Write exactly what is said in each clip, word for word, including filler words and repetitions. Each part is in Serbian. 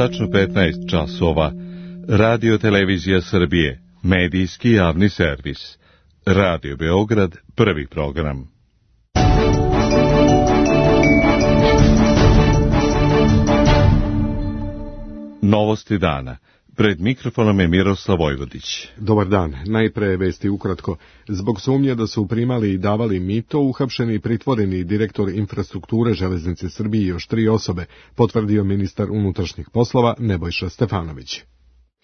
tačno petnaest časova. Radio Televizija Srbije, medijski javni servis. Radio Beograd, prvi program. Novosti dana. Pred mikrofonom je Miroslav Vojvodić. Dobar dan. Najpre vesti ukratko. Zbog sumnje da su primali i davali mito, uhapšeni i pritvoreni direktor infrastrukture Železnice Srbije i još tri osobe, potvrdio ministar unutrašnjih poslova Nebojša Stefanović.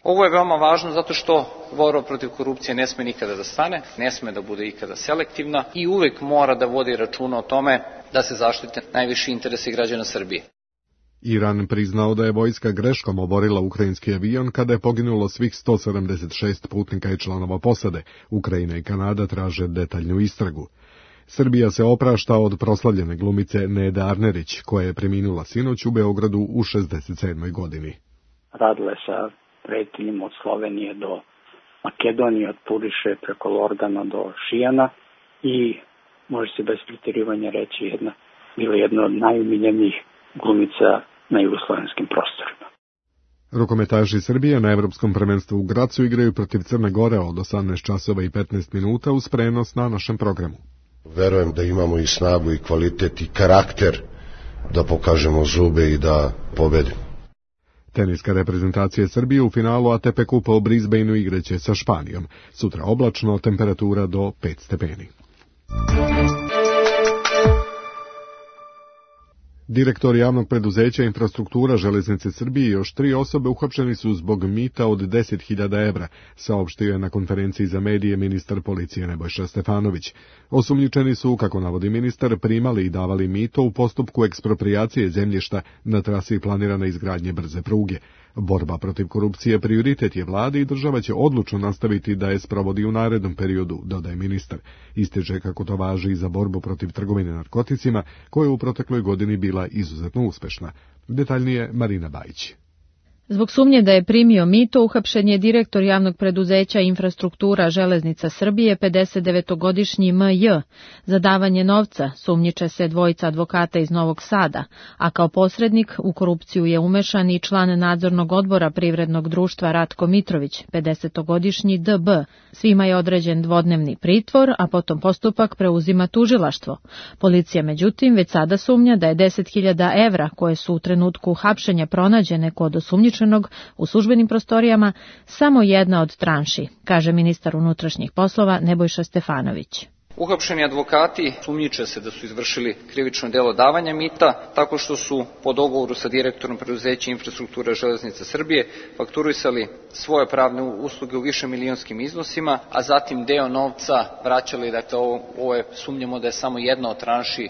Ovo je veoma važno zato što borba protiv korupcije ne sme nikada da stane, ne sme da bude ikada selektivna i uvek mora da vodi računa o tome da se zaštite najviši interesi građana Srbije. Iran priznao da je vojska greškom oborila ukrajinski avion kada je poginulo svih sto sedamdeset šest putnika i članova posade. Ukrajina i Kanada traže detaljnu istragu. Srbija se oprašta od proslavljene glumice Nede Arnerić, koja je preminula sinoć u Beogradu u šezdeset sedmoj godini. Radile sa pretinjima od Slovenije do Makedonije, od Puriše preko Lordana do Šijana i može se bez pretjerivanja reći jedna, bila jedna od najumiljenijih glumica na jugoslovenskim prostorima. Rukometaši Srbije na Evropskom prvenstvu u Gracu igraju protiv Crne Gore od osamnaest časova i petnaest minuta uz prenos na našem programu. Verujem da imamo i snagu i kvalitet i karakter da pokažemo zube i da pobedimo. Teniska reprezentacija Srbije u finalu A T P kupa u Brisbaneu igraće sa Španijom. Sutra oblačno, temperatura do pet stepeni. Direktor javnog preduzeća Infrastruktura Železnice Srbije i još tri osobe uhapšeni su zbog mita od deset hiljada evra, saopštio je na konferenciji za medije ministar policije Nebojša Stefanović. Osumnjičeni su, kako navodi ministar, primali i davali mito u postupku eksproprijacije zemljišta na trasi planirane izgradnje brze pruge. Borba protiv korupcije prioritet je vlade i država će odlučno nastaviti da je sprovodi u narednom periodu, dodaje ministar. Ističe kako to važi i za borbu protiv trgovine narkoticima, koja je u protekloj godini bila izuzetno uspešna. Detaljnije Marina Bajić. Zbog sumnje da je primio mito, uhapšen je direktor javnog preduzeća Infrastruktura Železnica Srbije, pedesetdevetogodišnji M J. Za davanje novca sumnjiče se dvojica advokata iz Novog Sada, a kao posrednik u korupciju je umešan i član nadzornog odbora privrednog društva Ratko Mitrović, pedesetogodišnji D B. Svima je određen dvodnevni pritvor, a potom postupak preuzima tužilaštvo. Policija, međutim, već sada sumnja da je deset hiljada evra, koje su u trenutku hapšenja pronađene kod osumnjičenog u službenim prostorijama, samo jedna od tranši, kaže ministar unutrašnjih poslova Nebojša Stefanović. Uhapšeni advokati sumnjiče se da su izvršili krivično delo davanja mita tako što su po dogovoru sa direktorom preduzeća Infrastruktura Železnice Srbije fakturisali svoje pravne usluge u višemilionskim iznosima, a zatim deo novca vraćali, dakle ovo, ovo je, sumnjamo da je samo jedna od tranši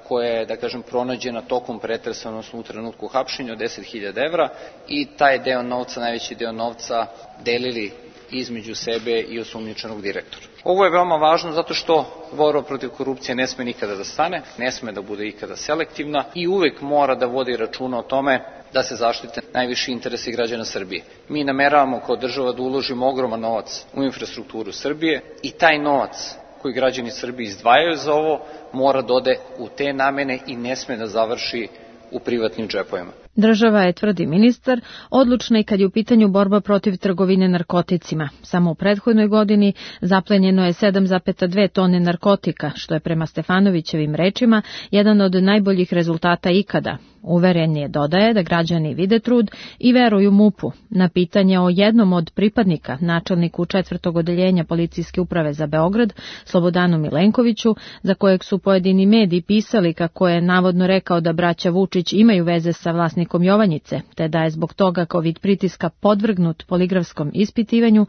koja je, da kažem, pronađena tokom pretresa, odnosno u trenutku hapšenja od deset hiljada evra, i taj deo novca, najveći deo novca delili između sebe i osumnjičenog direktora. Ovo je veoma važno zato što borba protiv korupcije ne sme nikada da stane, ne sme da bude ikada selektivna i uvek mora da vodi računa o tome da se zaštite najviši interesi građana Srbije. Mi nameravamo kao država da uložimo ogroman novac u infrastrukturu Srbije i taj novac koji građani Srbije izdvajaju za ovo mora da ode u te namene i ne sme da završi u privatnim džepovima. Država je, tvrdi ministar, odlučna i kad je u pitanju borba protiv trgovine narkoticima. Samo u prethodnoj godini zaplenjeno je sedam zarez dve tone narkotika, što je prema Stefanovićevim rečima jedan od najboljih rezultata ikada. Uveren je, dodaje, da građani vide trud i veruju MUP-u. Na pitanje o jednom od pripadnika, načelniku četvrtog odeljenja policijske uprave za Beograd, Slobodanu Milenkoviću, za kojeg su pojedini mediji pisali kako je navodno rekao da braća Vučić imaju veze sa vlasnikom Jovanjice, te da je zbog toga kao vid pritiska podvrgnut poligrafskom ispitivanju,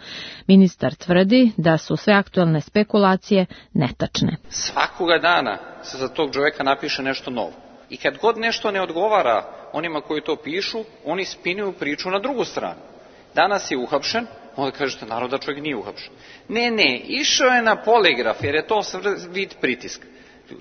ministar tvrdi da su sve aktuelne spekulacije netačne. Svakoga dana se za tog čoveka napiše nešto novo. I kad god nešto ne odgovara onima koji to pišu, oni spinuju priču na drugu stranu. Danas je uhapšen, onda kažete narod da čovjek nije uhapšen. Ne, ne, išao je na poligraf jer je to vid pritiska.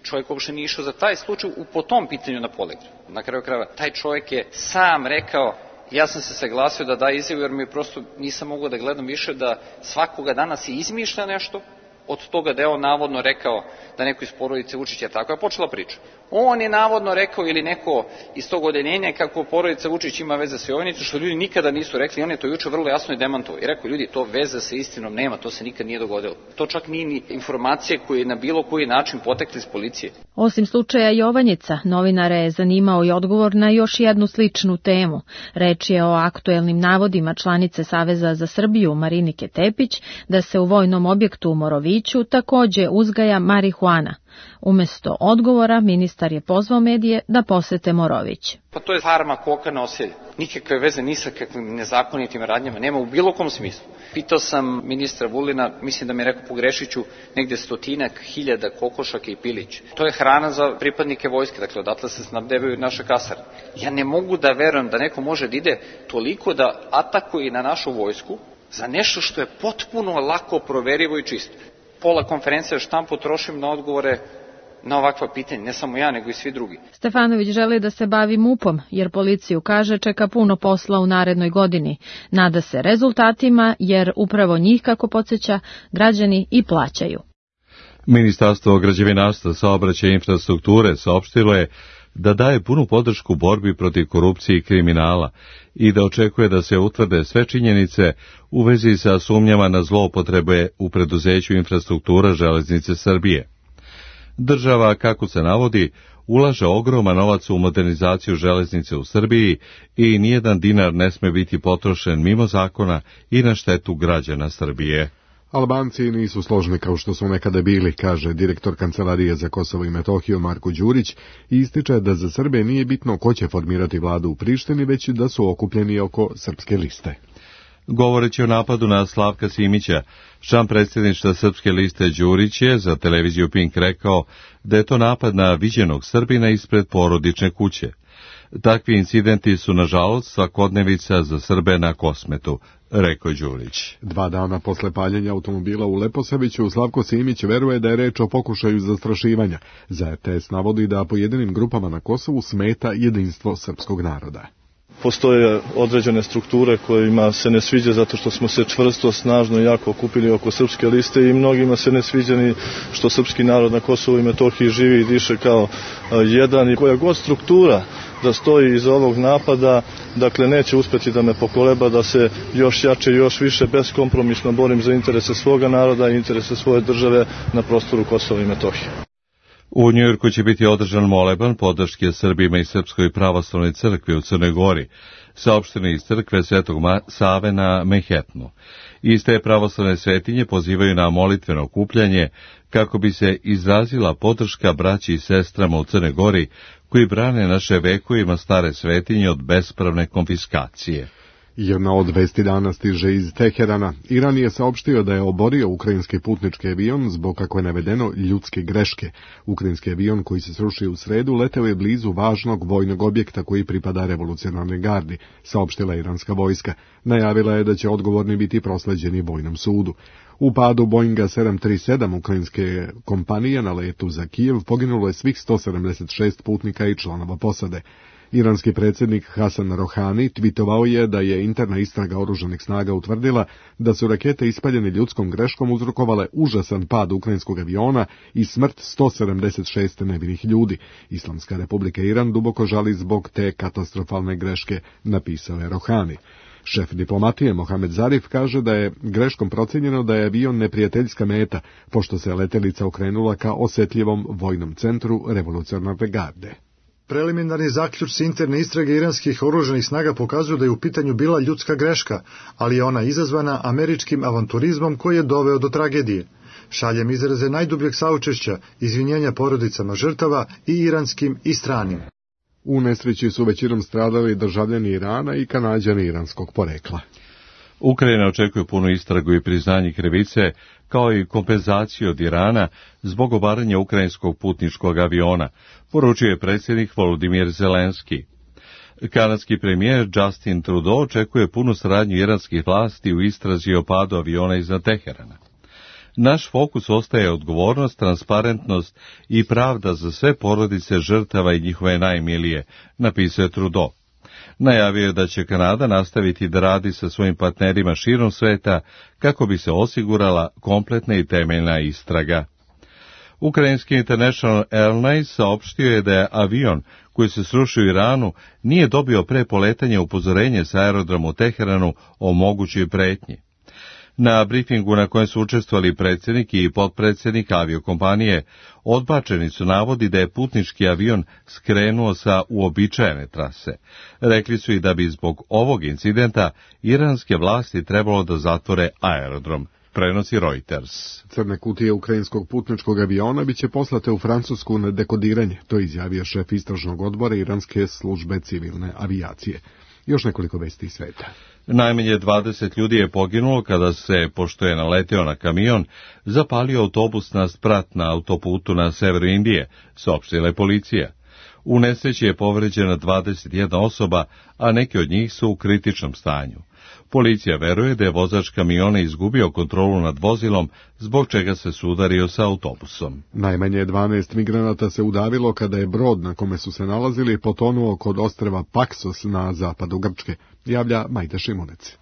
Čovjek uopšte nije išao za taj slučaj u po tom pitanju na poligraf. Na kraju krajeva, taj čovjek je sam rekao, ja sam se saglasio da da izjavu jer mi prosto nisam mogao da gledam više da svakoga dana se izmišlja nešto, od toga da je on navodno rekao da neko iz porodice Vučića, tako je počela priča. On je navodno rekao ili neko iz tog odeljenja kako porodica Vučić ima veze sa Jovanicom, što ljudi nikada nisu rekli. On je to juče vrlo jasno i demantovao i rekao, ljudi, to veze sa istinom nema, to se nikad nije dogodilo. To čak nije ni informacije koje na bilo koji način potekli iz policije. Osim slučaja Jovanjica, novinare je zanimao i odgovor na još jednu sličnu temu. Reč je o aktuelnim navodima članice Saveza za Srbiju Marinike Tepić da se u vojnom objektu u Moroviću takođe uzgaja marihuana. Umesto odgovora, ministar je pozvao medije da posete Morović. Pa to je farma koka na oselje. Nikakve veze ni sa kakvim nezakonitim radnjama nema u bilo kom smislu. Pitao sam ministra Vulina, mislim da mi je rekao pogrešiću, negde stotinak hiljada kokošaka i pilić. To je hrana za pripadnike vojske, dakle odatle se snabdevaju naše kasarne. Ja ne mogu da verujem da neko može da ide toliko da atakuje na našu vojsku za nešto što je potpuno lako proverivo i čisto. Pola konferencije štampu trošim na odgovore na ovakva pitanja, ne samo ja, nego i svi drugi. Stefanović želi da se bavi mupom, jer policiju kaže čeka puno posla u narednoj godini. Nada se rezultatima, jer upravo njih, kako podsjeća, građani i plaćaju. Ministarstvo građevinarstva, saobraćaja i infrastrukture saopštilo je da daje punu podršku borbi protiv korupcije i kriminala i da očekuje da se utvrde sve činjenice u vezi sa sumnjama na zloupotrebe u preduzeću Infrastruktura Železnice Srbije. Država, kako se navodi, ulaže ogroman novac u modernizaciju železnice u Srbiji i nijedan dinar ne sme biti potrošen mimo zakona i na štetu građana Srbije. Albanci nisu složni kao što su nekada bili, kaže direktor Kancelarije za Kosovo i Metohiju Marko Đurić i ističe da za Srbe nije bitno ko će formirati vladu u Prištini, već da su okupljeni oko srpske liste. Govoreći o napadu na Slavka Simića, član predsjedništva Srpske liste Đurić je za televiziju Pink rekao da je to napad na viđenog Srbina ispred porodične kuće. Takvi incidenti su, nažalost, svakodnevica za Srbe na Kosmetu, rekao Đurić. Dva dana posle paljenja automobila u Leposaviću, Slavko Simić veruje da je reč o pokušaju zastrašivanja. Za R T S navodi da pojedinim grupama na Kosovu smeta jedinstvo srpskog naroda. Postoje određene strukture kojima se ne sviđa zato što smo se čvrsto, snažno i jako okupili oko srpske liste i mnogima se ne sviđa ni što srpski narod na Kosovu i Metohiji živi i diše kao jedan i koja god struktura da stoji iza ovog napada, dakle neće uspjeti da me pokoleba da se još jače i još više beskompromisno borim za interese svoga naroda i interese svoje države na prostoru Kosova i Metohije. U Njujorku će biti održan moleban podrške Srbima i Srpskoj pravoslavnoj crkvi u Crnoj Gori, saopšteni iz crkve Svetog Save na Manhattanu. Iste pravoslavne svetinje pozivaju na molitveno okupljanje kako bi se izrazila podrška braći i sestrama u Crnoj Gori koji brane naše vekovima stare svetinje od bespravne konfiskacije. Jedna od vesti dana stiže iz Teherana. Iran je saopštio da je oborio ukrajinski putnički avion zbog, kako je navedeno, ljudske greške. Ukrajinski avion koji se srušio u sredu leteo je blizu važnog vojnog objekta koji pripada revolucionarnoj gardi, saopštila iranska vojska. Najavila je da će odgovorni biti prosleđeni vojnom sudu. U padu Boeinga sedam trideset sedam ukrajinske kompanije na letu za Kijev poginulo je svih sto sedamdeset šest putnika i članova posade. Iranski predsjednik Hasan Rohani tvitovao je da je interna istraga oružanih snaga utvrdila da su rakete ispaljene ljudskom greškom uzrokovale užasan pad ukrajinskog aviona i smrt sto sedamdeset šest nevinih ljudi. Islamska republika Iran duboko žali zbog te katastrofalne greške, napisao je Rohani. Šef diplomatije Mohamed Zarif kaže da je greškom procijenjeno da je avion neprijateljska meta, pošto se letelica okrenula ka osjetljivom vojnom centru revolucionarne garde. Preliminarni zaključci interne istrage iranskih oružanih snaga pokazuju da je u pitanju bila ljudska greška, ali je ona izazvana američkim avanturizmom koji je doveo do tragedije. Šaljem izraze najdubljeg saučešća, izvinjenja porodicama žrtava i iranskim i stranim. U nesreći su većinom stradali državljani Irana i Kanađani iranskog porekla. Ukrajina očekuje punu istragu i priznanje krivice, kao i kompenzaciju od Irana zbog obaranja ukrajinskog putničkog aviona, poručio je predsjednik Volodimir Zelenski. Kanadski premijer Justin Trudeau očekuje punu saradnju iranskih vlasti u istrazi o padu aviona iznad Teherana. Naš fokus ostaje odgovornost, transparentnost i pravda za sve porodice žrtava i njihove najmilije, napisao je Trudeau. Najavio je da će Kanada nastaviti da radi sa svojim partnerima širom sveta kako bi se osigurala kompletna i temeljna istraga. Ukrajinski International Airlines saopštio je da je avion koji se srušio u Iranu nije dobio pre poletanja upozorenje sa aerodroma u Teheranu o mogućoj pretnji. Na brifingu na kojem su učestvovali predsjednik i potpredsjednik aviokompanije odbačeni su navodi da je putnički avion skrenuo sa uobičajene trase. Rekli su i da bi zbog ovog incidenta iranske vlasti trebalo da zatvore aerodrom. Prenosi Reuters. Crne kutije ukrajinskog putničkog aviona biće poslate u Francusku na dekodiranje, to je izjavio šef istražnog odbora iranske službe civilne avijacije. Još nekoliko vesti iz sveta. Najmanje dvadeset ljudi je poginulo kada se, pošto je naleteo na kamion, zapalio autobus na sprat na autoputu na severu Indije, saopštila je policija. U nesreći je povređena dvadeset jedna osoba, a neki od njih su u kritičnom stanju. Policija veruje da je vozač kamiona izgubio kontrolu nad vozilom, zbog čega se sudario sa autobusom. Najmanje dvanaest migranata se udavilo kada je brod na kome su se nalazili potonuo kod ostrva Paksos na zapadu Grčke, javlja Majda Šimunec.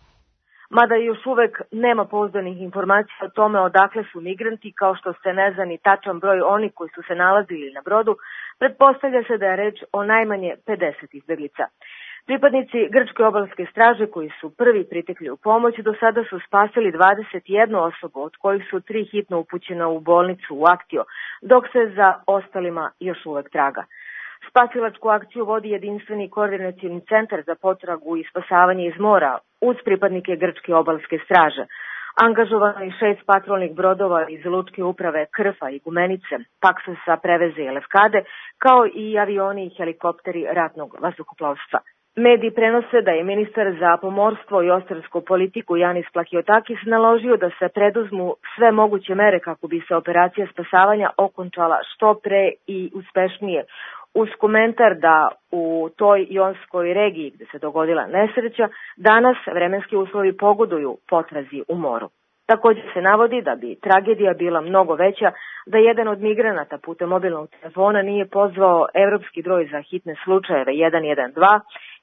Mada još uvek nema pouzdanih informacija o tome odakle su migranti, kao što se ne zna ni tačan broj onih koji su se nalazili na brodu, pretpostavlja se da je reč o najmanje pedeset izbeglica. Pripadnici grčke obalske straže koji su prvi pritekli u pomoć do sada su spasili dvadeset jednu osobu, od kojih su tri hitno upućena u bolnicu u Aktio, dok se za ostalima još uvek traga. Spasilačku akciju vodi jedinstveni koordinacioni centar za potragu i spasavanje iz mora uz pripadnike grčke obalske straže. Angažovano je šest patrolnih brodova iz lučke uprave Krfa i Gumenice, Paksosa, Preveze i Lefkade, kao i avioni i helikopteri ratnog vazduhoplovstva. Mediji prenose da je ministar za pomorstvo i ostrarsku politiku Janis Plakiotakis naložio da se preduzmu sve moguće mere kako bi se operacija spasavanja okončala što pre i uspešnije, uz komentar da u toj jonskoj regiji gde se dogodila nesreća danas vremenski uslovi pogoduju potrazi u moru. Također se navodi da bi tragedija bila mnogo veća da jedan od migranata putem mobilnog telefona nije pozvao evropski broj za hitne slučajeve jedan jedan dva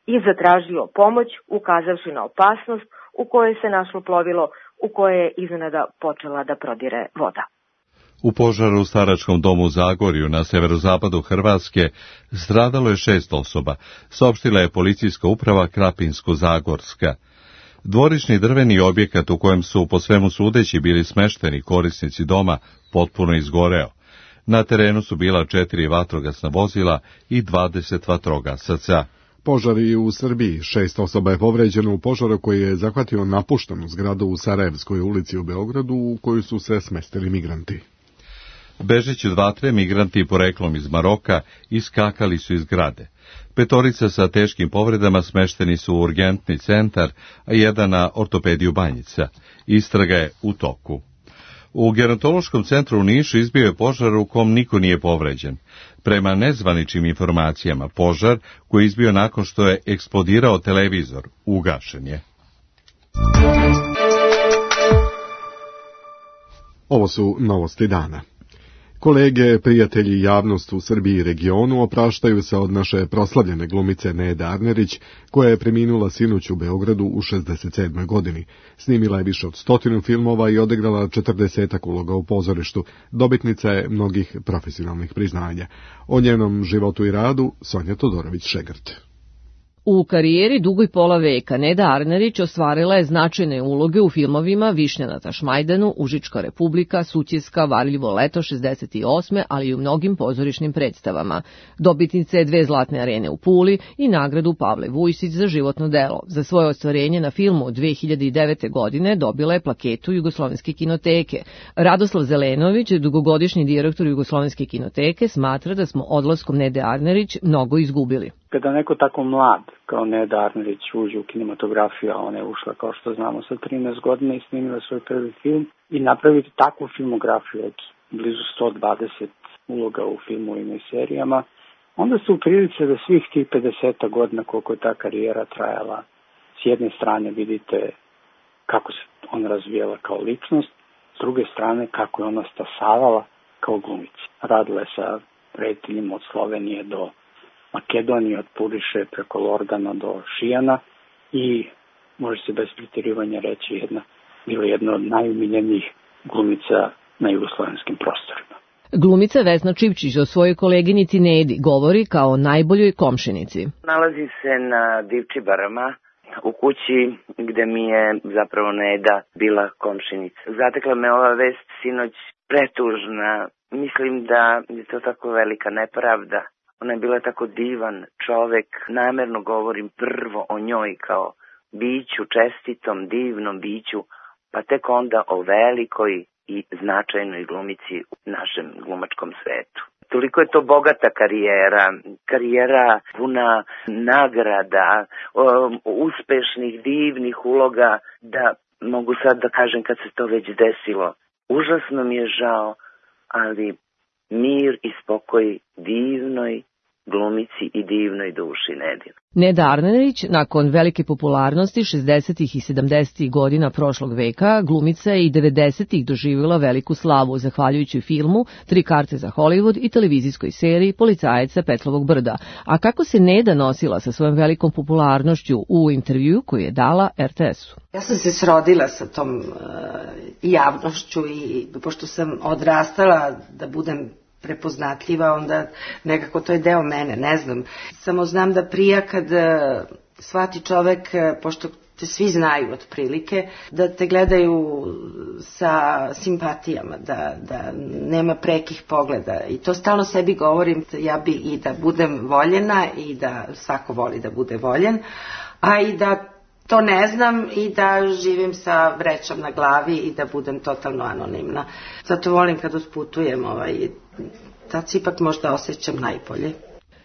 i zatražio pomoć, ukazavši na opasnost u kojoj se našlo plovilo u koje je iznenada počela da prodire voda. U požaru u staračkom domu u Zagorju na severozapadu Hrvatske stradalo je šest osoba, saopštila je policijska uprava Krapinsko-Zagorska. Dvorišni drveni objekat u kojem su po svemu sudeći bili smešteni korisnici doma potpuno izgoreo. Na terenu su bila četiri vatrogasna vozila i dvadeset vatrogasaca. Požar i u Srbiji. Šest osoba je povređeno u požaru koji je zahvatio napuštenu zgradu u Sarajevskoj ulici u Beogradu u koju su se smestili migranti. Bežeći od vatre, migranti poreklom iz Maroka iskakali su iz zgrade. Petorica sa teškim povredama smešteni su u urgentni centar, a jedan na ortopediju Banjica. Istraga je u toku. U gerontološkom centru u Nišu izbio je požar u kom niko nije povređen. Prema nezvaničnim informacijama, požar koji je izbio nakon što je eksplodirao televizor, ugašen je. Ovo su novosti dana. Kolege, prijatelji i javnost u Srbiji i regionu opraštaju se od naše proslavljene glumice Nede Arnerić, koja je preminula sinoć u Beogradu u šezdeset sedmoj godini. Snimila je više od stotinu filmova i odigrala četrdesetak uloga u pozorištu. Dobitnica je mnogih profesionalnih priznanja. O njenom životu i radu Sonja Todorović-Šegrt. U karijeri dugoj pola veka Neda Arnerić ostvarila je značajne uloge u filmovima Višnja na Tašmajdanu, Užička republika, Sutjeska, Varljivo leto šezdeset osme, ali i u mnogim pozorišnim predstavama. Dobitnica je dve zlatne arene u Puli i nagradu Pavle Vujsić za životno delo. Za svoje ostvarenje na filmu dve hiljade devete. godine dobila je plaketu Jugoslovenske kinoteke. Radoslav Zelenović, dugogodišnji direktor Jugoslovenske kinoteke, smatra da smo odlaskom Nede Arnerić mnogo izgubili. Kada neko tako mlad kao Neda Arnerić uđe u kinematografiju, a ona je ušla, kao što znamo, sa trinaest godina i snimila svoj prvi film, i napraviti takvu filmografiju od blizu sto dvadeset uloga u filmovima i serijama, onda ste u prilici da svih tih pedeset godina koliko je ta karijera trajala, s jedne strane vidite kako se ona razvijala kao ličnost, s druge strane kako je ona stasavala kao glumica. Radila je sa rediteljima od Slovenije do Makedonije, od Puriše preko Lordana do Šijana, i može se bez pretjerivanja reći jedna, bila jedna od najumiljenijih glumica na jugoslovenskim prostorima. Glumica Vesna Čipčić o svojoj koleginici Nedi govori kao o najboljoj komšinici. Nalazi se na Divčibarama, u kući gde mi je zapravo Neda bila komšinica. Zatekla me ova vest sinoć pretužna. Mislim da je to tako velika nepravda. Ona je bila tako divan čovek. Namerno govorim prvo o njoj kao biću, čestitom, divnom biću, pa tek onda o velikoj i značajnoj glumici u našem glumačkom svetu. Toliko je to bogata karijera, karijera puna nagrada, uspešnih, divnih uloga, da mogu sad da kažem kad se to već desilo. Užasno mi je žao, ali mir i spokoj divnoj glumici i divnoj duši Nedin. Neda Arnerić, nakon velike popularnosti šezdesetih i sedamdesetih godina prošlog veka, glumica je i devedesetih doživjela veliku slavu zahvaljujući filmu Tri karte za Hollywood i televizijskoj seriji Policajac sa Petlovog brda. A kako se Neda nosila sa svojom velikom popularnošću u intervju koju je dala er te esu? Ja sam se srodila sa tom uh, javnošću i pošto sam odrastala da budem prepoznatljiva, onda nekako to je deo mene, ne znam. Samo znam da prija kad shvati čovek, pošto te svi znaju otprilike, da te gledaju sa simpatijama, da, da nema prekih pogleda. I to stalno sebi govorim, ja bi i da budem voljena i da svako voli da bude voljen, a i da to ne znam i da živim sa vrećom na glavi i da budem totalno anonimna. Zato volim kad usputujem, ovaj, tad se ipak možda osjećam najbolje.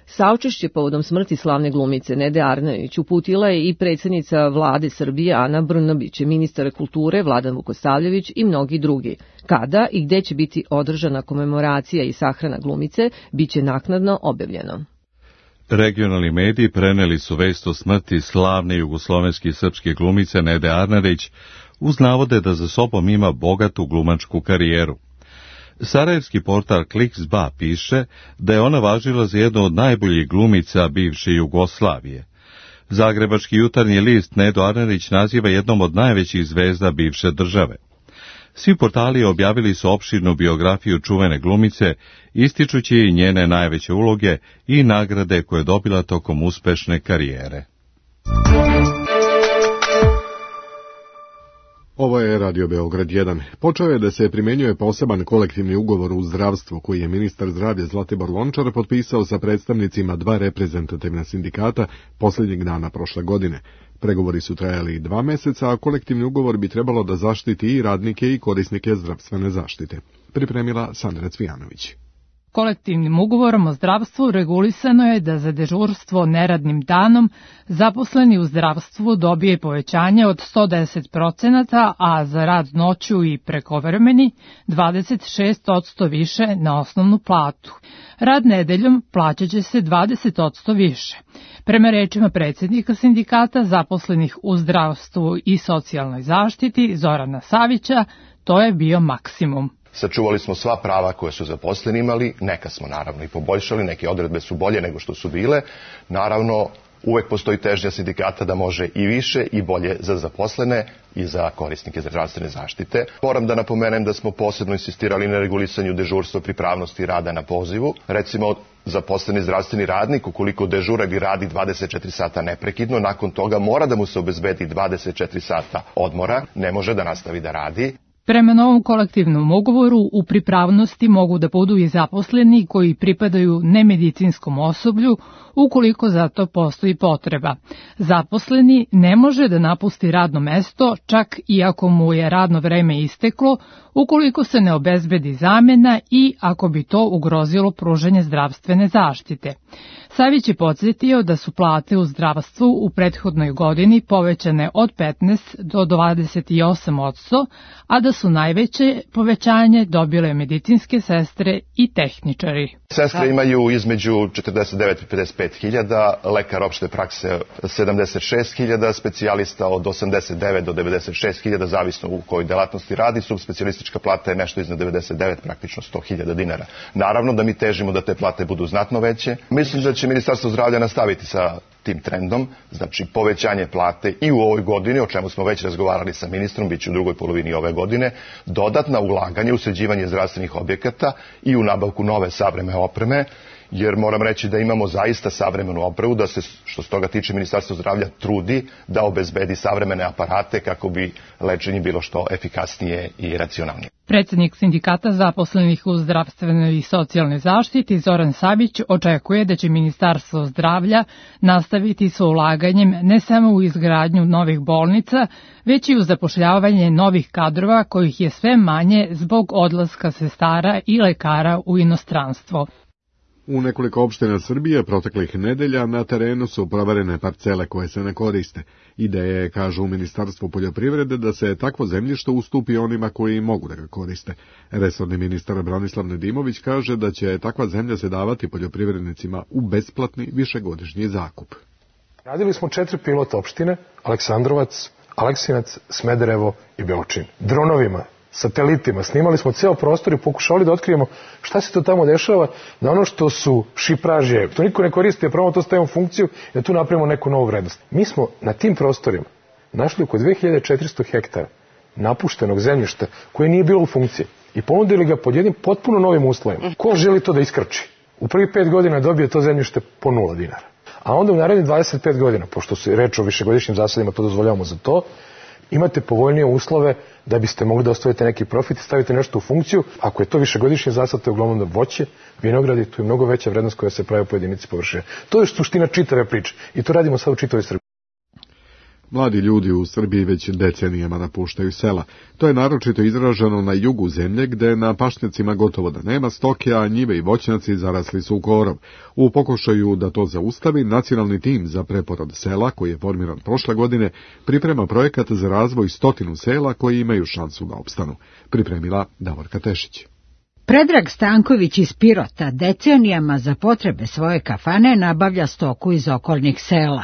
Saučešće povodom smrti slavne glumice Nede Arnerić uputila je i predsjednica vlade Srbije Ana Brnabić, ministar kulture Vladan Vukosavljević i mnogi drugi. Kada i gde će biti održana komemoracija i sahrana glumice, bit će naknadno objavljeno. Regionalni mediji preneli su vest o smrti slavne jugoslovenske i srpske glumice Nede Arnerić uz navode da za sobom ima bogatu glumačku karijeru. Sarajevski portal Kliks.ba piše da je ona važila za jednu od najboljih glumica bivše Jugoslavije. Zagrebački jutarnji list Nedu Arnerić naziva jednom od najvećih zvezda bivše države. Svi portali objavili su opširnu biografiju čuvene glumice, ističući i njene najveće uloge i nagrade koje je dobila tokom uspešne karijere. Ovo je Radio Beograd jedan. Počeo je da se primjenjuje poseban kolektivni ugovor u zdravstvu koji je ministar zdravlja Zlatibor Lončar potpisao sa predstavnicima dva reprezentativna sindikata posljednjeg dana prošle godine. Pregovori su trajali dva meseca, a kolektivni ugovor bi trebalo da zaštiti i radnike i korisnike zdravstvene zaštite. Pripremila Sandra Cvijanović. Kolektivnim ugovorom o zdravstvu regulisano je da za dežurstvo neradnim danom zaposleni u zdravstvu dobije povećanje od sto deset procenata, a za rad noću i prekovremeni dvadeset šest posto više na osnovnu platu. Rad nedeljom plaćat će se dvadeset posto više. Prema rečima predsjednika sindikata zaposlenih u zdravstvu i socijalnoj zaštiti Zorana Savića, to je bio maksimum. Sačuvali smo sva prava koje su zaposleni imali, neka smo naravno i poboljšali, neke odredbe su bolje nego što su bile. Naravno, uvek postoji težnja sindikata da može i više i bolje za zaposlene i za korisnike zdravstvene zaštite. Moram da napomenem da smo posebno insistirali na regulisanju dežurstva, pripravnosti rada na pozivu. Recimo, zaposleni zdravstveni radnik, ukoliko dežura i radi dvadeset četiri sata neprekidno, nakon toga mora da mu se obezbedi dvadeset četiri sata odmora, ne može da nastavi da radi. Prema novom kolektivnom ugovoru u pripravnosti mogu da budu i zaposleni koji pripadaju nemedicinskom osoblju ukoliko za to postoji potreba. Zaposleni ne može da napusti radno mesto čak i ako mu je radno vreme isteklo, ukoliko se ne obezbedi zamena i ako bi to ugrozilo pružanje zdravstvene zaštite. Savić je podsjetio da su plate u zdravstvu u prethodnoj godini povećane od petnaest do dvadeset osam posto, a da su najveće povećanje dobile medicinske sestre i tehničari. Sestre imaju između četrdeset devet i pedeset pet hiljada, lekar opšte prakse sedamdeset šest hiljada, specijalista od osamdeset devet do devedeset šest hiljada, zavisno u kojoj delatnosti radi. Subspecijalistička plata je nešto iznad devedeset devet, praktično sto hiljada dinara. Naravno da mi težimo da te plate budu znatno veće. Mislim da će Ministarstvo zdravlja nastaviti sa tim trendom, znači povećanje plate i u ovoj godini, o čemu smo već razgovarali sa ministrom, bit će u drugoj polovini ove godine, dodatna ulaganje u sređivanje zdravstvenih objekata i u nabavku nove savremene opreme, jer moram reći da imamo zaista savremenu opremu, da se, što se toga tiče, Ministarstvo zdravlja trudi da obezbedi savremene aparate kako bi lečenje bilo što efikasnije i racionalnije. Predsednik sindikata zaposlenih u zdravstvenoj i socijalnoj zaštiti Zoran Sabić očekuje da će Ministarstvo zdravlja nastaviti sa ulaganjem ne samo u izgradnju novih bolnica, već i u zapošljavanje novih kadrova kojih je sve manje zbog odlaska sestara i lekara u inostranstvo. U nekoliko opština Srbije proteklih nedelja na terenu su proverene parcele koje se ne koriste. Ideja je, kažu u Ministarstvu poljoprivrede, da se takvo zemljište ustupi onima koji mogu da ga koriste. Resorni ministar Branislav Nedimović kaže da će takva zemlja se davati poljoprivrednicima u besplatni višegodišnji zakup. Radili smo četiri pilot opštine, Aleksandrovac, Aleksinac, Smederevo i Beočin. Dronovima, satelitima, snimali smo ceo prostor i pokušali da otkrijemo šta se to tamo dešava, da ono što su šipraže, to niko ne koristi, a pravo to stavimo u funkciju i da tu napravimo neku novu vrednost. Mi smo na tim prostorima našli oko dve hiljade četiristo hektara napuštenog zemljišta koje nije bilo u funkciji i ponudili ga pod jednim potpuno novim uslovima. Ko želi to da iskrči? U prvi pet godina dobije to zemljište po nula dinara. A onda u narednih dvadeset pet godina, pošto se reč o višegodišnjim zasadima, to dozvoljavamo za to, imate povoljnije uslove da biste mogli da ostvarite neki profit i stavite nešto u funkciju. Ako je to višegodišnji zasad, to je uglavnom da voće, vinogradi, tu je mnogo veća vrednost koja se pravi po jedinici površine. To je suština čitave priče i to radimo sad u čitavoj Srbiji. Mladi ljudi u Srbiji već decenijama napuštaju sela. To je naročito izraženo na jugu zemlje, gde na pašnjacima gotovo da nema stoke, a njive i voćnjaci zarasli su u korov. U pokušaju da to zaustavi, nacionalni tim za preporod sela, koji je formiran prošle godine, priprema projekat za razvoj stotinu sela koji imaju šansu da opstanu. Pripremila Davorka Tešić. Predrag Stanković iz Pirota decenijama za potrebe svoje kafane nabavlja stoku iz okolnih sela.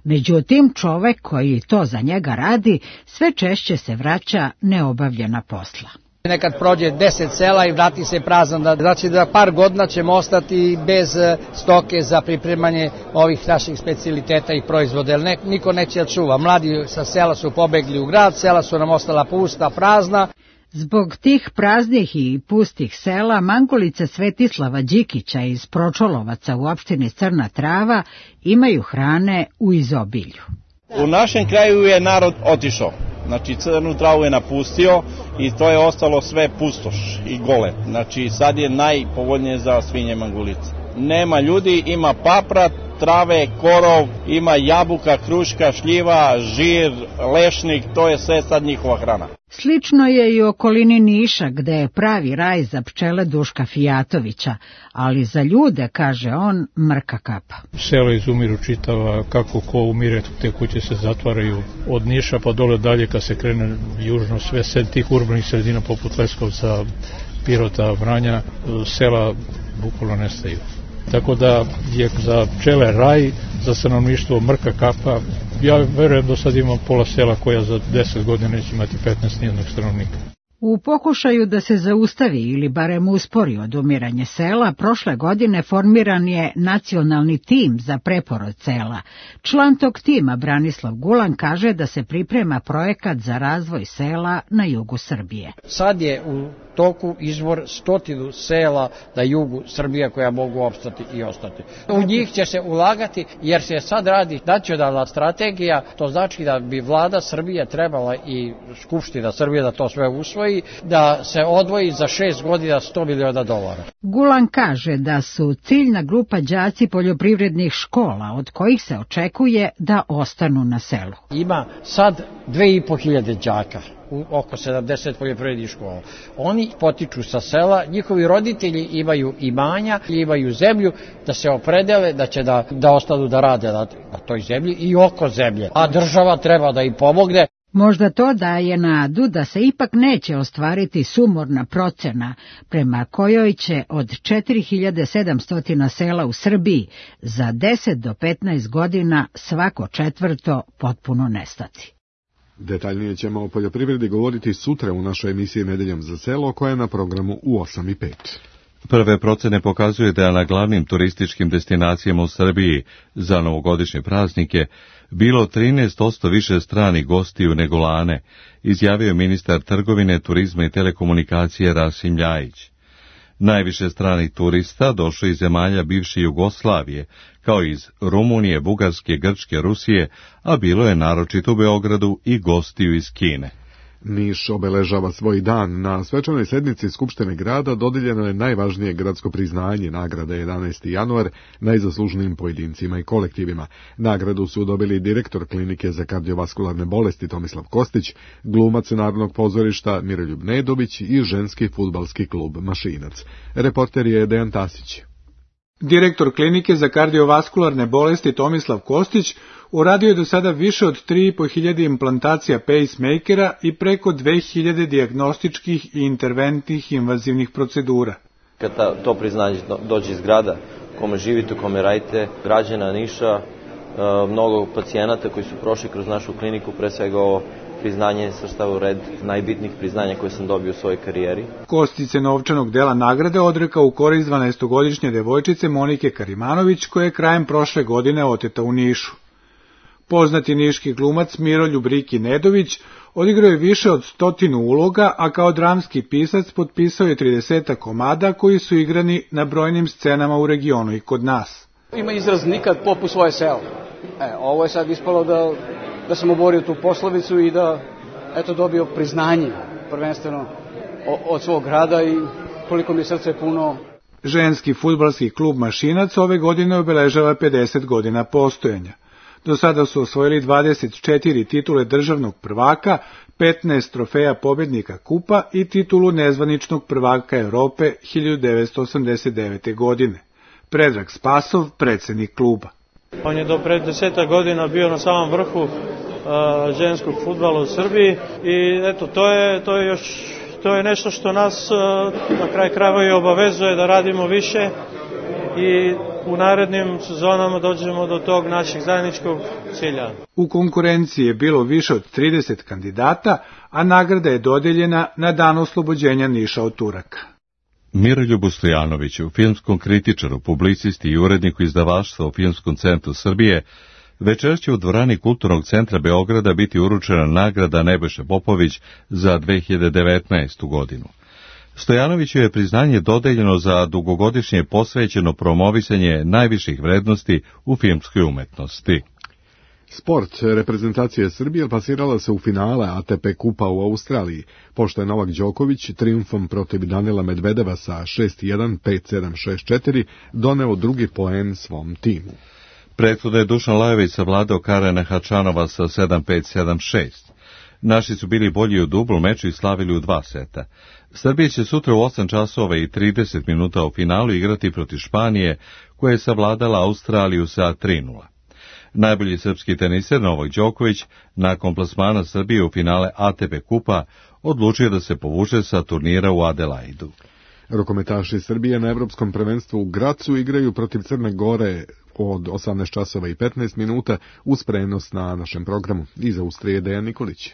Međutim, čovek koji to za njega radi sve češće se vraća neobavljena posla. Nekad prođe deset sela i vrati se prazan, da znači da par godina ćemo ostati bez stoke za pripremanje ovih naših specijaliteta i proizvoda, jer ne, niko neće čuva. Mladi sa sela su pobegli u grad, sela su nam ostala pusta, prazna. Zbog tih praznih i pustih sela, Mangolice Svetislava Đikića iz Pročolovaca u opštini Crna Trava imaju hrane u izobilju. U našem kraju je narod otišao, znači Crnu Travu je napustio i to je ostalo sve pustoš i gole. Znači sad je najpovoljnije za svinje Mangolice. Nema ljudi, ima paprat, trave, korov, ima jabuka, kruška, šljiva, žir, lešnik, to je sve sad njihova hrana. Slično je i u okolini Niša, gde je pravi raj za pčele Duška Fijatovića, ali za ljude, kaže on, mrka kapa. Selo izumiru čitava, kako ko umire, te kuće se zatvaraju od Niša pa dole dalje, kad se krene južno, sve sed tih urbanih sredina poput Leskovca, Pirota, Vranja, sela bukvalno nestaju. Tako da je za pčele raj, za stanovništvo mrka kapa. Ja verujem da sad imam pola sela koja za deset godina neće imati petnaest nijednog stanovnika. U pokušaju da se zaustavi ili barem uspori odumiranje sela, prošle godine formiran je nacionalni tim za preporod sela. Član tog tima, Branislav Gulan, kaže da se priprema projekat za razvoj sela na jugu Srbije. Sad je u toku izvor stotinu sela na jugu Srbije koja mogu opstati i ostati. U njih će se ulagati jer se sad radi nacionalna strategija, to znači da bi vlada Srbije trebala i Skupština Srbije da to sve usvoji, da se odvoji za šest godina sto miliona dolara. Gulan kaže da su ciljna grupa đaci poljoprivrednih škola, od kojih se očekuje da ostanu na selu. Ima sad dve i po hiljade đaka u oko sedamdeset poljoprivrednih škola. Oni potiču sa sela, njihovi roditelji imaju imanja, imaju zemlju, da se opredele da će da, da ostanu da rade na, na toj zemlji i oko zemlje. A država treba da im pomogne. Možda to daje nadu da se ipak neće ostvariti sumorna procena prema kojoj će od četiri hiljade sedamsto sela u Srbiji za deset do petnaest godina svako četvrto potpuno nestati. Detaljnije ćemo o poljoprivredi govoriti sutra u našoj emisiji Nedeljom za selo, koja je na programu u osam i pet. Prve procene pokazuje da je na glavnim turističkim destinacijama u Srbiji za novogodišnje praznike bilo trinaest posto više stranih gostiju nego lane, izjavio ministar trgovine, turizma i telekomunikacije Rasim Ljajić. Najviše stranih turista došlo iz zemalja bivše Jugoslavije, kao iz Rumunije, Bugarske, Grčke, Rusije, a bilo je naročito u Beogradu i gostiju iz Kine. Niš obeležava svoj dan. Na svečanoj sednici Skupštine grada dodijeljeno je najvažnije gradsko priznanje, nagrada jedanaesti januar, najzaslužnijim pojedincima i kolektivima. Nagradu su dobili direktor klinike za kardiovaskularne bolesti Tomislav Kostić, glumac Narodnog pozorišta Miroljub Nedović i ženski fudbalski klub Mašinac. Reporter je Dejan Tasić. Direktor klinike za kardiovaskularne bolesti Tomislav Kostić uradio je do sada više od tri i po hiljade implantacija pacemakera i preko dve hiljade dijagnostičkih i interventnih invazivnih procedura. Kada to priznanje dođe iz grada, kome živite, kome radite, građana Niša, mnogo pacijenata koji su prošli kroz našu kliniku, pre svega ovo priznanje svrstava u red najbitnijih priznanja koje sam dobio u svojoj karijeri. Kostić se novčanog dela nagrade odrekao u korist dvanaestogodišnje devojčice Monike Karimanović, koja je krajem prošle godine oteta u Nišu. Poznati niški glumac Miroljub Riki Nedović odigrao je više od stotinu uloga, a kao dramski pisac potpisao je trideset komada koji su igrani na brojnim scenama u regionu i kod nas. Ima izraz nikad popu svoje selo. E, ovo je sad ispalo da, da sam oborio tu poslovicu i da eto dobio priznanje prvenstveno od svog grada i koliko mi je srce puno. Ženski fudbalski klub Mašinac ove godine obeležava pedeset godina postojanja. Do sada su osvojili dvadeset četiri titule državnog prvaka, petnaest trofeja pobednika kupa i titulu nezvaničnog prvaka Evrope hiljadu devetsto osamdeset devete. godine. Predrag Spasov, predsjednik kluba. On je do pred deseta godina bio na samom vrhu uh, ženskog fudbala u Srbiji i eto, to je, to je još to je nešto što nas uh, na kraj krajeva i obavezuje da radimo više i u narednim sezonama dođemo do tog našeg zajedničkog cilja. U konkurenciji je bilo više od trideset kandidata, a nagrada je dodeljena na dan oslobođenja Niša od Turaka. Miroljubu Stojanoviću, filmskom kritičaru, publicisti i uredniku izdavaštva u Filmskom centru Srbije, večeras će u dvorani Kulturnog centra Beograda biti uručena nagrada Nebojša Popović za dve hiljade devetnaestu. godinu. Stojanoviću je priznanje dodeljeno za dugogodišnje posvećeno promovisanje najviših vrednosti u filmskoj umetnosti. Sport. Reprezentacija Srbije plasirala se u finale A T P kupa u Australiji, pošto je Novak Đoković triumfom protiv Danila Medvedeva sa šest jedan, pet sedam, šest četiri doneo drugi poen svom timu. Prethodno je Dušan Lajović savladao Karena Hačanova sa sedam pet, sedam šest. Naši su bili bolji u dublu meču i slavili u dva seta. Srbija će sutra u osam časova i trideset minuta u finalu igrati protiv Španije, koja je savladala Australiju sa tri nula. Najbolji srpski teniser Novak Đoković, nakon plasmana Srbije u finale A T P kupa, odlučio da se povuče sa turnira u Adelaidu. Rukometaši Srbije na Evropskom prvenstvu u Gracu igraju protiv Crne Gore od osamnaest časova i petnaest minuta uz prenos na našem programu. Iz Austrije Dejan Nikolić.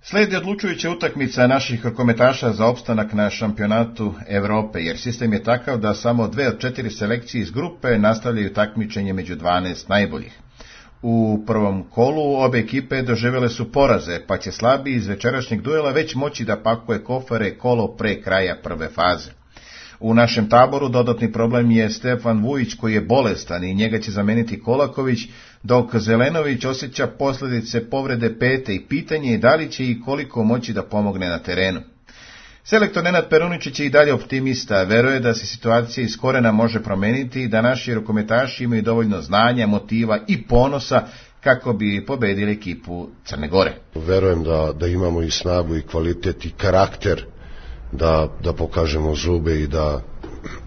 Slijedi odlučujuća utakmica naših rukometaša za opstanak na šampionatu Evrope, jer sistem je takav da samo dve od četiri selekcije iz grupe nastavljaju takmičenje među dvanaest najboljih. U prvom kolu obe ekipe doživjele su poraze, pa će slabiji iz večerašnjeg duela već moći da pakuje kofere kolo pre kraja prve faze. U našem taboru dodatni problem je Stefan Vujić, koji je bolestan i njega će zameniti Kolaković, dok Zelenović osjeća posljedice povrede pete i pitanje je da li će i koliko moći da pomogne na terenu. Selektor Nenad Peruničić je i dalje optimista, veruje da se situacija iz korena može promeniti i da naši rukometaši imaju dovoljno znanja, motiva i ponosa kako bi pobedili ekipu Crne Gore. Verujem da, da imamo i snagu i kvalitet i karakter da, da pokažemo zube i da,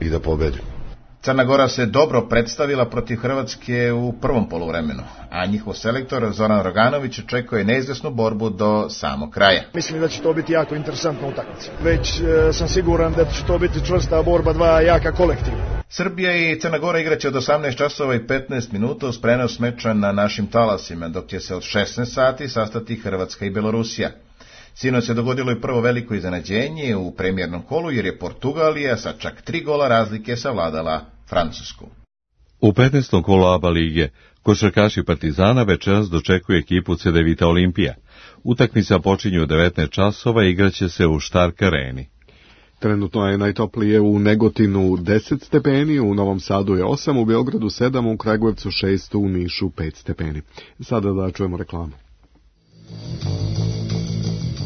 i da pobedimo. Crna Gora se dobro predstavila protiv Hrvatske u prvom poluvremenu, a njihov selektor Zoran Roganović očekuje neizvesnu borbu do samog kraja. Mislim da će to biti jako interesantna utakmica. Već e, sam siguran da će to biti čvrsta borba dva jaka kolektiva. Srbija i Crna Gora igraće od osamnaest časova i petnaest minuta uz prenos meča na našim talasima, dok će se od šesnaest sati sastati Hrvatska i Belorusija. Sinoć se dogodilo i prvo veliko iznenađenje u premijernom kolu, jer je Portugalija sa čak tri gola razlike savladala Francusku. U petnaestom kolu A B A lige košarkaši Partizana večeras dočekuje ekipu Cedevita Olimpija. Utakmica počinje u devetnaest časova i igraće se u Štark areni. Trenutno je najtoplije u Negotinu deset stepeni, u Novom Sadu je osam, u Beogradu sedam, u Kragujevcu šest, u Nišu pet stepeni. Sada da čujemo reklamu.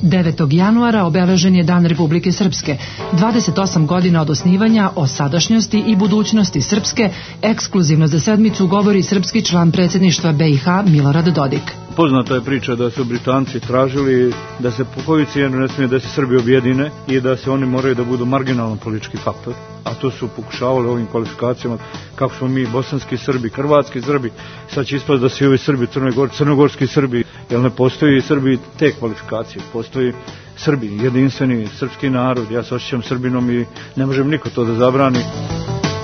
devetog januara obeležen je Dan Republike Srpske. dvadeset osam godina od osnivanja, o sadašnjosti i budućnosti Srpske, ekskluzivno za sedmicu govori srpski član predsjedništva B i H Milorad Dodik. Poznata je priča da su Britanci tražili da se po koju cijenu ne smije da se Srbi objedine i da se oni moraju da budu marginalan politički faktor, a to su pokušavali ovim kvalifikacijama, kako smo mi bosanski Srbi, hrvatski Srbi, sad će ispast da se ovi Srbi, Crnogor, crnogorski Srbi, jer ne postoji Srbi te kvalifikacije, postoji Srbi, jedinstveni srpski narod, ja se osjećam Srbinom i ne možem niko to da zabrani.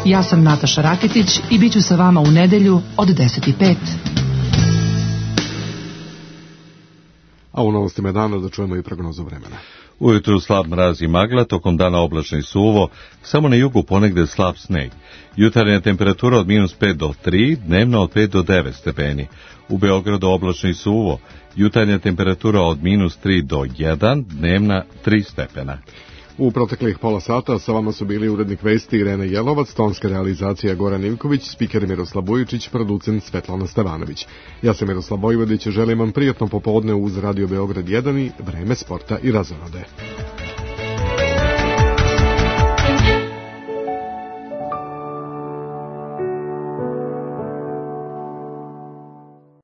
Ja sam Nataša Raketić i bit ću sa vama u nedelju od deset i pet. A u novostima dana da čujemo i prognozu vremena. Ujutru slab mraz i magla, tokom dana oblačno i suvo, samo na jugu ponegde slab sneg. Jutarnja temperatura od minus pet do tri, dnevno od pet do devet stepeni. U Beogradu oblačno i suvo, jutarnja temperatura od minus tri do jedan, dnevna tri stepena. U proteklih pola sata sa vama su bili urednik vesti Irena Jelovac, tonska realizacija Goran Ivković, spiker Miroslav Vujičić, producent Svetlana Stevanović. Ja sam Miroslav Vojvodić, želim vam prijatno popodne uz Radio Beograd jedan i vreme sporta i razonode.